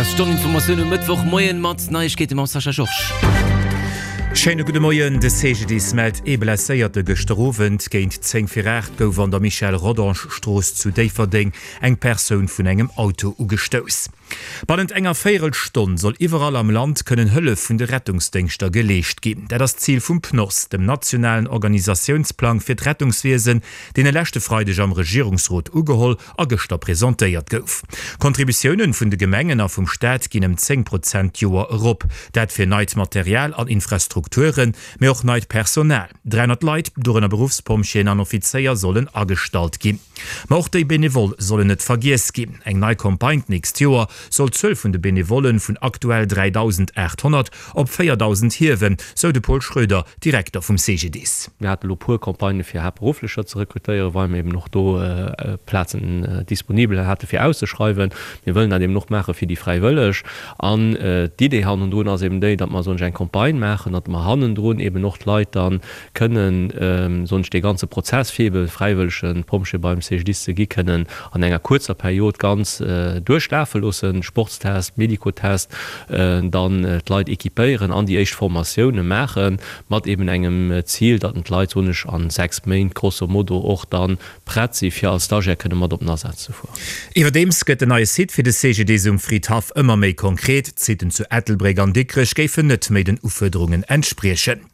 Stonn Informatioun um Mëttwochmoien mat Neiegkeete mam Sascha Georges. Schéine gudde Moien. De CGDIS mellt ee Blesséierte gëschter Owend. Géint 10 vir 8 gouf an der Michel Rodange Strooss zu Déifferdeng eng Persoun vun engem Auto ugestouss. Bannent enger Véierelstonn soll iwwerall am Land kënnen Hëllef vun de Rettungsdéngschter geleescht ginn. Dat ass d'Zil vum PNOS, dem nationalen Organisatiounsplang fir d'Rettungswiesen, deen e leschte Freideg am Regierungsrot ugeholl a gëschter presentéiert gouf. D'Contributiounen vun de Gemengen a vum Staat ginn ëm 10 Prozent d'Joer erop. Dat fir neit Material an Infrastrukturen, mee och neit Personal. 300 Leit, dorënner Beruffspompjeeën an Offizéier, sollen agestallt ginn. Ma och déi Benevol sollen net vergiess ginn. Eng nei Campagne d'nächst Joer soll d'Zuel vun de Benevollen vun aktuell 3.800 op 4.000 hiewen, sou de Paul Schroeder, Direkter vum CGDIS. Mir hate lo puer Campagnë fir Haaptberufflecher ze rekrutéieren, well mir eben och do Plazen disponibel hate fir auszeschreiwen. Mir wëllen dat eben och maache fir déi Fräiwëlleg. An d'Idee hannendrun ass eben déi, datt mer soen ech eng Campagne maachen, datt mer hannendrun eben och d'Leit da kënnen, soen ech, dee ganze Prozess fir ebe fräiwëllege Pompjee beim CGDIS ze gi kënnen an enger kuerzer Period ganz duerchlafe loossen, Sportstest, Medikotest, dann d'Leit équipéieren an déi éischt Formatioune maachen, mat eben engem Zil, datt d'Leit, soen ech, a 6 Méint grosso modo och da prett si fir als Stagiaire kënne mat op den Asaz ze fueren. Iwwerdeems gëtt den neie Site fir de CGDIS um Fridhaff ëmmer méi konkret. D'Siten zu Ettelbréck an Dikrech géifen net méi den Ufuerderungen entspriechen.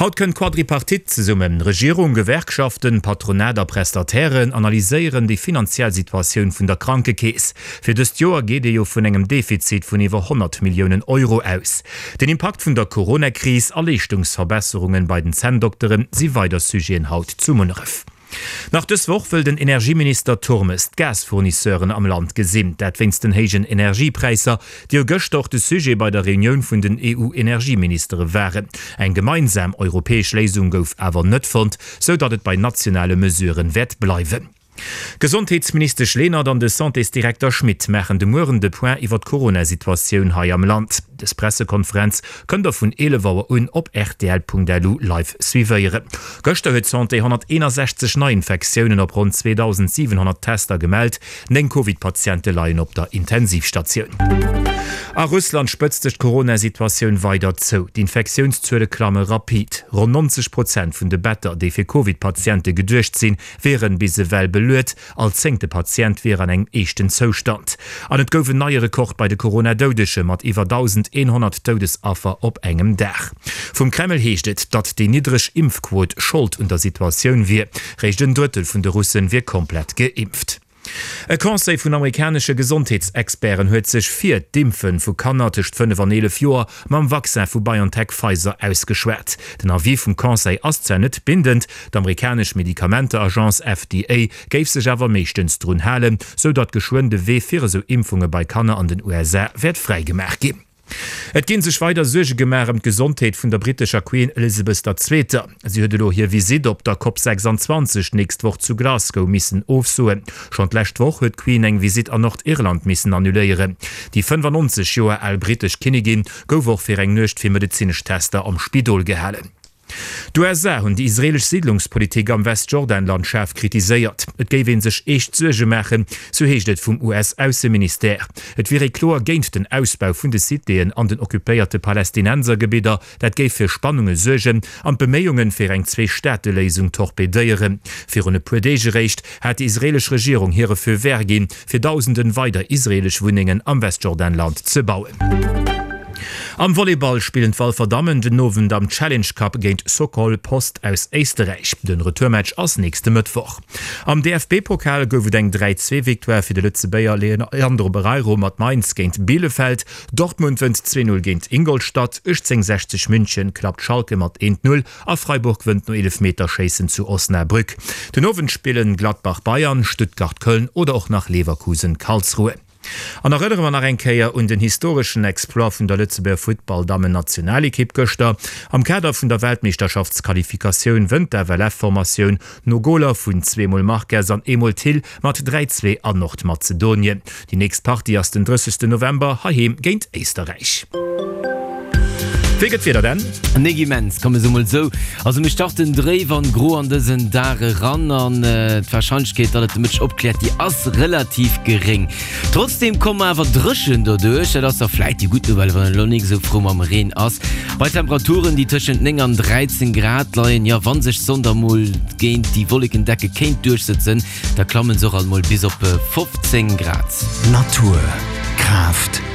Haut kënnt d'Quadripartite zesummen. Regierung, Gewerkschaften, Patronat a Prestatairen analyséieren déi finanziell Situatioun vun der Krankekeess. Fir dëst Joer geet ee jo vun engem Defizit vun iwwer 100 Milliounen Euro aus. Den Impakt vun der Coronakris a Leeschtungsverbesserungen bei den Zänndokteren si weider Sujeten haut zu Munneref. Nach dës Woch wëll den Energieminister Turmes d'Gasfournisseuren am Land gesinn. Dat wéinst den héijen Energiepräisser, déi jo gëschter och de Sujet bei der Reunioun vun den EU-Energieministere waren. Eng gemeinsam europäesch Léisung gouf awer net fonnt, sou datt et bei nationale Mesuren wäert bleiwen. D'Gesondheetsministesch Lenert an de Santésdirekter Schmit maachen de Mueren de Point iwwer d'Corona-Situatioun hei am Land. Dës Pressekonferenz kënnt der vun 11 Auer un op rtl.lu live suivéieren. Gëschter huet d'Santé 161 Neiinfektiounen op ronn 2.700 Tester gemellt. 9 Covid-Patiente leien op der Intensivstatioun. A Russland spëtzt sech d'Corona-Situatioun weider zou. D'infektiounszuele klamme rapid. Ronn 90 Prozent vun de Better, déi fir Covid-Patiente geduecht sinn, wieren bis ewell beluet. All zéngte Patient wier an engem eeschten Zoustand. An et gouf en neie Rekord bei de Corona-Doudege mat iwwer 1.100 Doudesaffer op engem Dag. Vum Kreml heescht et, datt déi niddreg Impfquot Schold un der Situatioun wier. Réischt en Drëttel vun de Russen wier komplett geimpft. E Conseil vun amerikanesche Gesondheetsexperten huet sech fir d'Impfe vu Kanner tëscht 5 an 11 Joer mam Vaccin vu BioNTech-Pfizer ausgeschwat. Den Avis vum Conseil ass zwar net bindend, D'amerikanesch Medikamenteagence FDA géif sech awer meeschtens drun halen, sou datt geschwënn de Wee fir esou Impfunge bei Kanner an den USA wäert fräigemaach ginn. Et ginn sech weider Suerge gemaach ëm d'Gesondheet vun der brittescher Queen Elizabeth der Zweeter. Si huet elo hir Visitt op der Cop 26 d'nächst Woch zu Glasgow missen ofsoen. Schonn d'lescht Woch huet d'Queen eng Visitt an Nordirland missen annuléieren. Déi 95 Joer al brittesch Kinnigin gouf och fir eng Nuecht fir medezinesch Tester am Spidol gehalen. D'USA hunn déi israeelesch Siidlungspolitik am Westjordanland schaarf kritiséiert. Et géif ee sech eescht Suerge maachen, sou heescht et vum US-Ausseministère. Et wier ee kloer géint den Ausbau vun de Citéen an den occupéierte Palästinensergebidder. Dat géif fir Spannunge suergen an d'Beméiunge fir eng Zwee-Staate-Léisung torpedéieren. Virun e puer Deeg eréischt hat déi israeelesch Regierung hire Feu vert ginn, fir dausenden weider israeelesch Wunnengen am Westjordanland ze bauen. Am Volleyball spillen d'Walfer Dammen den Owend am Challenge Cup géint Sokol Post aus Éisterräich. Den Retourmatch ass nächste Mëttwoch. Am DFB-Pokal gouf et eng 3, 2 Victoire fir de Lëtzebuerger Leandro Barreiro mat Mainz géint Bielefeld. Dortmund wënnt 2, 0 géint Ingolstadt, 1860 München klappt Schalke mat 1, 0 A Freiburg wënnt no Eelefmeterschéissen zu Osnabrück. Den Owend spillen Gladbach Bayern, Stuttgart Köln oder och nach Leverkusen Karlsruhe. An erënnere mer nach eng Kéier un den historeschen Exploit vun der Lëtzebuerger Futtball-Dammen-Nationalekipp gëschter. Am Kader vun der Weltmeeschterschaftsqualifikatioun wënnt d'FLF-Formatioun no Goler vun zweemol Marques an eemol Thill mat 3, 2 an Nordmazedonien. Déi nächst Partie ass den 30 November heiheem géint Éisterräich. Wéi gëtt d'Wieder denn? Nik immens, komm ech soe mol sou. Also mir starten dréif an gro an dësen Dag eran an d'Warscheinlechkeet, datt et de Mëtteg opkläert, déi ass relativ geréng. Trotzdeem komme mer awer dréchen doduerch, dat ass da vläit déi gutt Nouvelle, wann een elo nik esou frou mam Reen ass. Bei Temperaturen, déi tëschent 9 an 13 Grad leien, jo wa sech d'Sonn da mol géint déi Wollekendecke kéint duerchsëtzen, da klamme se och alt mol bis op 15 Grad. Natur, Kraaft.